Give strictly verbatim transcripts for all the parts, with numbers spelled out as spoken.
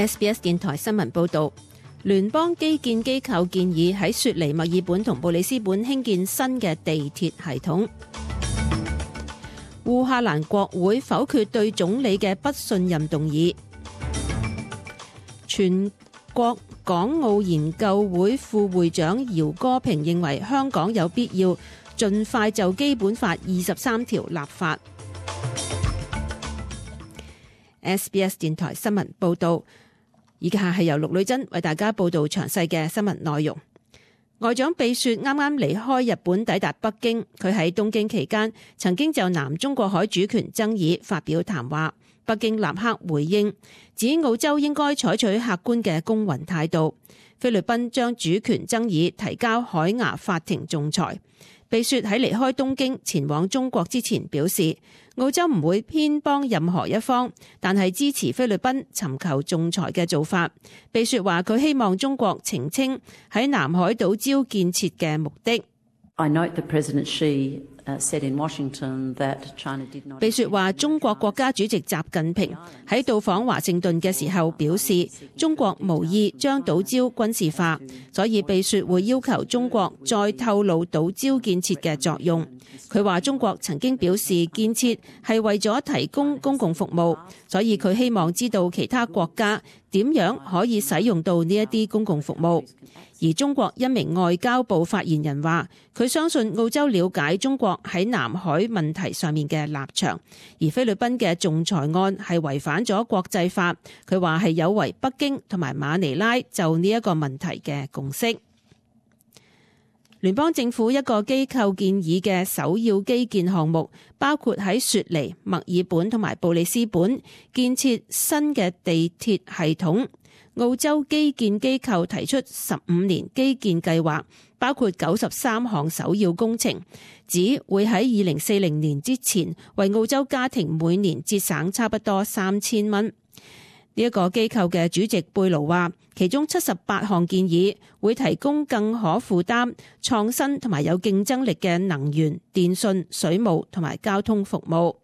S B S 電台新聞報導，聯邦基建機構建議喺雪梨、墨爾本同布里斯本興建新嘅地鐵系統。烏克蘭國會否決對總理嘅不信任動議。全國港澳研究會副會長姚歌平認為香港有必要盡快就基本法二十三條立法。S B S 電台新聞報導。以下係由陸女珍為大家報道詳細嘅新聞內容。外長貝雪啱啱離開日本抵達北京，佢喺東京期間曾經就南中國海主權爭議發表談話，北京立刻回應，指澳洲應該採取客觀嘅公允態度。菲律賓將主權爭議提交海牙法庭仲裁。貝雪喺離開東京前往中國之前表示，澳洲唔會偏幫任何一方，但係支持菲律賓尋求仲裁嘅做法。貝雪話佢希望中國澄清喺南海島礁建設嘅目的。I note that President Xi said in Washington that China did not. 貝雪話中國國家主席習近平喺到訪華盛頓嘅時候表示，中國無意將島礁軍事化，所以貝雪會要求中國再透露島礁建設嘅作用。佢話中國曾經表示建設係為咗提供公共服務，所以佢希望知道其他國家點樣可以使用到呢一啲公共服務。而中國一名外交部發言人話，佢相信澳洲了解中國喺南海問題上面嘅立場，而菲律賓嘅仲裁案係違反咗國際法。佢話係有違北京同埋馬尼拉就呢一個問題嘅共識。聯邦政府一個機構建議嘅首要基建項目，包括喺雪梨、墨爾本同埋布里斯本建設新嘅地鐵系統。澳洲基建機構提出十五年基建計劃，包括九十三項首要工程，指會喺二零四零年之前為澳洲家庭每年節省差不多三千蚊。呢一個機構嘅主席貝盧話，其中七十八項建議會提供更可負擔、創新同埋有競爭力嘅能源、電信、水務同埋交通服務。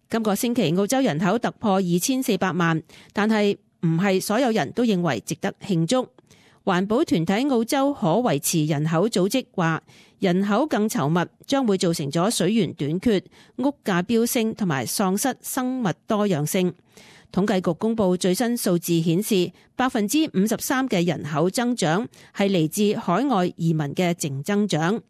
今個星期澳洲人口突破二千四百萬，但係唔係所有人都認為值得慶祝。環保團體澳洲可維持人口組織話，人口更稠密將會造成咗水源短缺、屋價飆升同埋喪失生物多樣性。統計局公布最新數字顯示，百分之五十三嘅人口增長係嚟自海外移民嘅淨增長。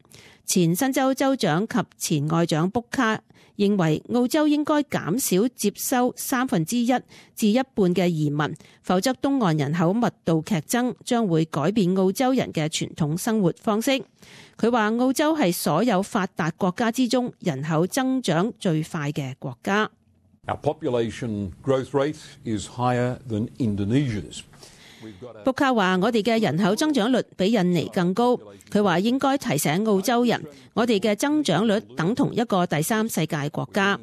前新州州長及前外長卜卡認為澳洲應該減少接收三分之一至一半嘅移民，否則東岸人口密度劇增將會改變澳洲人嘅傳統生活方式。佢話澳洲係所有發達國家之中人口增長最快嘅國家。Our population growth rate is higher than Indonesia's. 卜卡話：我哋嘅人口增長率比印尼更高。佢話應該提醒澳洲人，我哋嘅增長率等同一個第三世界國家，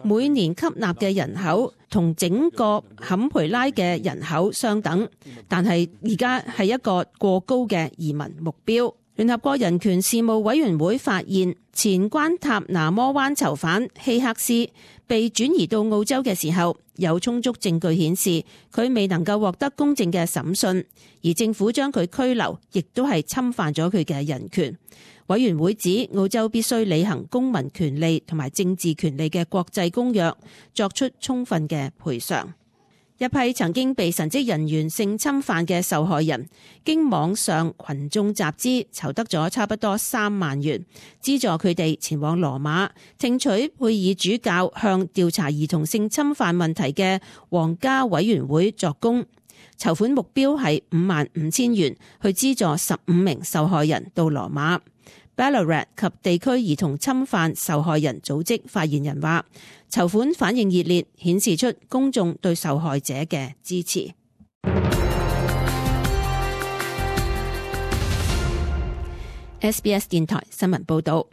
每年吸納嘅人口同整個坎培拉嘅人口相等，但係而家係一個過高嘅移民目標。聯合國人權事務委員會發現，前關塔那摩灣囚犯希克斯被轉移到澳洲嘅時候，有充足證據顯示佢未能夠獲得公正嘅審訊，而政府將佢拘留，亦都係侵犯咗佢嘅人權。委員會指澳洲必須履行公民權利同埋政治權利嘅國際公約，作出充分嘅賠償。一批曾經被神職人員性侵犯嘅受害人，經網上群眾集資籌得咗差不多三萬元，資助佢哋前往羅馬聽取佩爾主教向調查兒童性侵犯問題嘅皇家委員會作供。籌款目標係五萬五千元，去資助十五名受害人到羅馬。Ballarat 及地區兒童侵犯受害人組織發言人話，籌款反應熱烈，顯示出公眾對受害者嘅支持。S B S 電台新聞報道，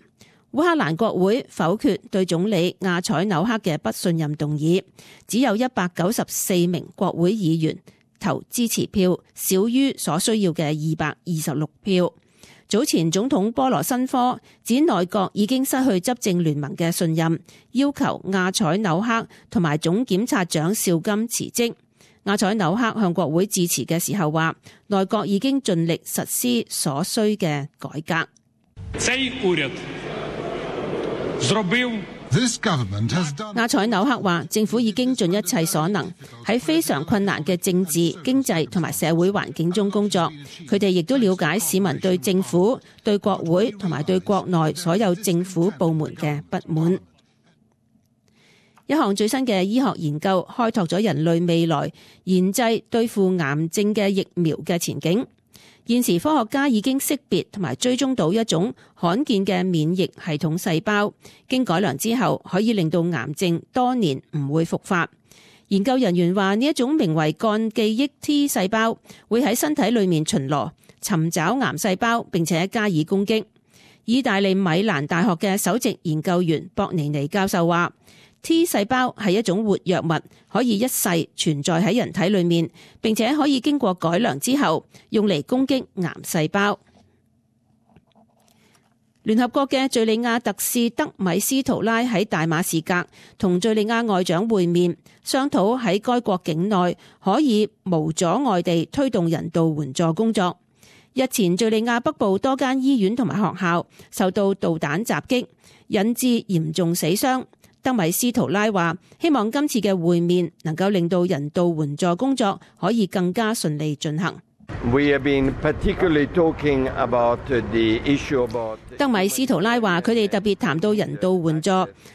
烏克蘭國會否決對總理亞采紐克嘅不信任動議，只有一百九十四名國會議員投支持票，少於所需要嘅二百二十六票。早前總統波羅申科指內閣已經失去執政聯盟嘅信任，要求亞采紐克同埋總檢察長邵金辭職。阿采紐克向國會致辭嘅時候話，內閣已經盡力實施所需嘅改革。阿采紐克話，政府已經盡一切所能喺非常困難嘅政治、經濟同埋社會環境中工作。佢哋亦都了解市民對政府、對國會同埋對國內所有政府部門嘅不滿。一項最新嘅醫學研究開拓咗人類未來研製對付癌症嘅疫苗嘅前景。現時科學家已經識別同埋追蹤到一種罕見嘅免疫系統細胞，經改良之後可以令到癌症多年唔會復發。研究人員話，呢一種名為幹記憶 T 細胞會喺身體裏面巡邏，尋找癌細胞並且加以攻擊。意大利米蘭大學嘅首席研究員博尼尼教授話，T 細胞係一種活躍物，可以一世存在喺人體裏面，並且可以經過改良之後用嚟攻擊癌細胞。聯合國嘅敘利亞特使德米斯圖拉喺大馬士革同敘利亞外長會面，商討喺該國境內可以無阻礙地推動人道援助工作。日前敘利亞北部多間醫院同埋學校受到導彈襲擊，引致嚴重死傷。德米斯圖拉話，希望今次嘅會面能夠令到人道援助工作可以更加順利進行。We have been particularly talking about the issue about... 德米斯圖拉話，佢哋特別談到人道援助，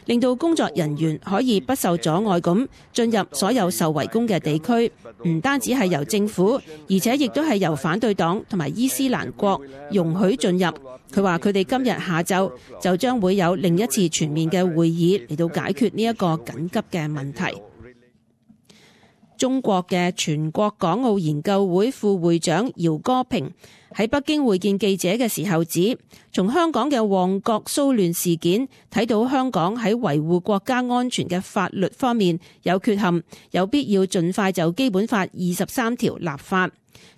令到工作人員可以不受阻礙咁進入所有受圍攻嘅地區，唔單止係由政府，而且亦都係由反對黨同埋伊斯蘭國容許進入。佢話佢哋今日下晝就將會有另一次全面嘅會議嚟到解決呢一個緊急嘅問題。中國嘅全國港澳研究會副會長姚歌平喺北京會見記者嘅時候指，從香港嘅旺角騷亂事件睇到香港喺維護國家安全嘅法律方面有缺陷，有必要盡快就基本法二十三條立法。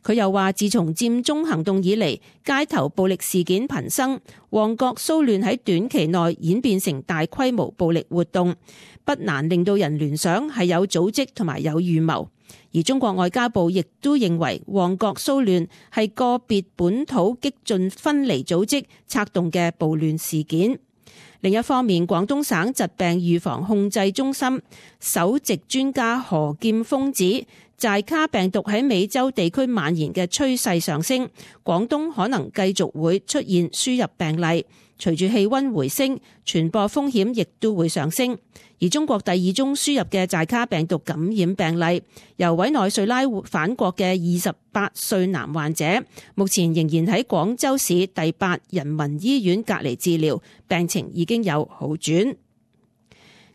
佢又話，自從佔中行動以嚟，街頭暴力事件頻生，旺角騷亂喺短期內演變成大規模暴力活動，不難令到人聯想係有組織同埋有預謀。而中國外交部亦都認為旺角騷亂係個別本土激進分離組織策動嘅暴亂事件。另一方面，廣東省疾病預防控制中心首席專家何劍鋒指，寨卡病毒喺美洲地區蔓延嘅趨勢上升，廣東可能繼續會出現輸入病例。隨住氣溫回升，傳播風險亦都會上升。而中國第二宗輸入嘅寨卡病毒感染病例，由委內瑞拉返國嘅二十八歲男患者，目前仍然喺廣州市第八人民醫院隔離治療，病情已經有好轉。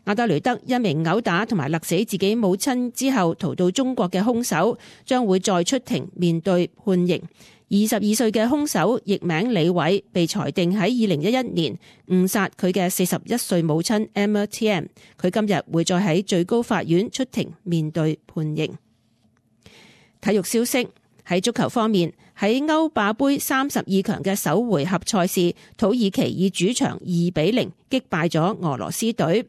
阿德雷德一名毆打同埋勒死自己母親之後逃到中國嘅兇手，將會再出庭面對判刑。二十二歲嘅兇手譯名李偉，被裁定喺二零一一年誤殺佢嘅四十一歲母親 Emma Tiem。佢今日會再喺最高法院出庭面對判刑。體育消息，喺足球方面，喺歐霸盃三十二強嘅首回合賽事，土耳其以主場二比零擊敗咗俄羅斯隊。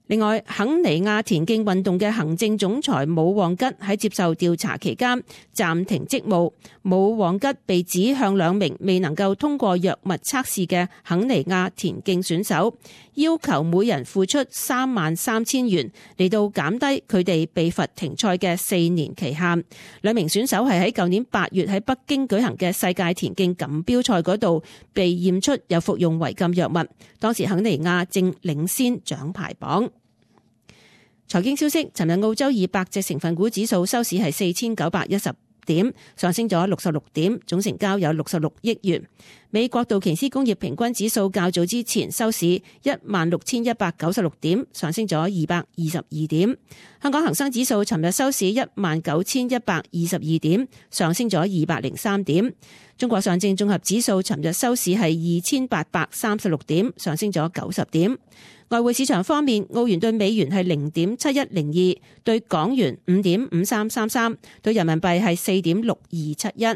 另外，肯尼亞田徑運動嘅行政總裁武旺吉喺接受調查期間暫停職務。武旺吉被指向兩名未能夠通過藥物測試嘅肯尼亞田徑選手，要求每人付出三萬三千元嚟到減低佢哋被罰停賽嘅四年期限。兩名選手係喺舊年八月喺北京舉行嘅世界田徑錦標賽嗰度被驗出有服用違禁藥物，當時肯尼亞正領先獎牌榜。財經消息，尋日澳洲二百隻成分股指數收市係四千九百一十點，上升咗六十六點，總成交有六十六億元。美國道瓊斯工業平均指數較早之前收市一萬六千一百九十六點，上升咗二百二十二點。香港恒生指數尋日收市一萬九千一百二十二點，上升咗二百零三點。中國上證綜合指數尋日收市係二千八百三十六點，上升咗九十點。外匯市場方面，澳元兌美元係零點七一零二，對港元五點五三三三，對人民幣係四點六二七一。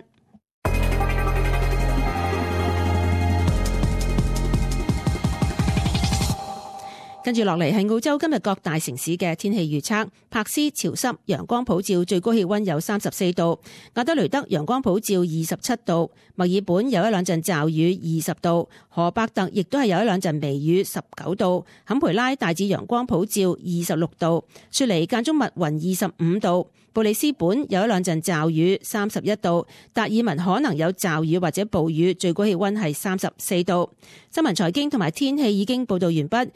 跟跟住落嚟係澳洲今日各大城市嘅天氣預測。柏斯潮濕，陽光普照，最高氣溫有三十四度；亞德雷德陽光普照，二十七度；墨爾本有一兩陣驟雨，二十度；荷伯特亦都係有一兩陣微雨，十九度；坎培拉大致陽光普照，二十六度；雪梨間中密雲，二十五度；布里斯本有一兩陣驟雨，三十一度；達爾文可能有驟雨或者暴雨，最高氣溫係三十四度。新聞財經同埋天氣已經報道完畢。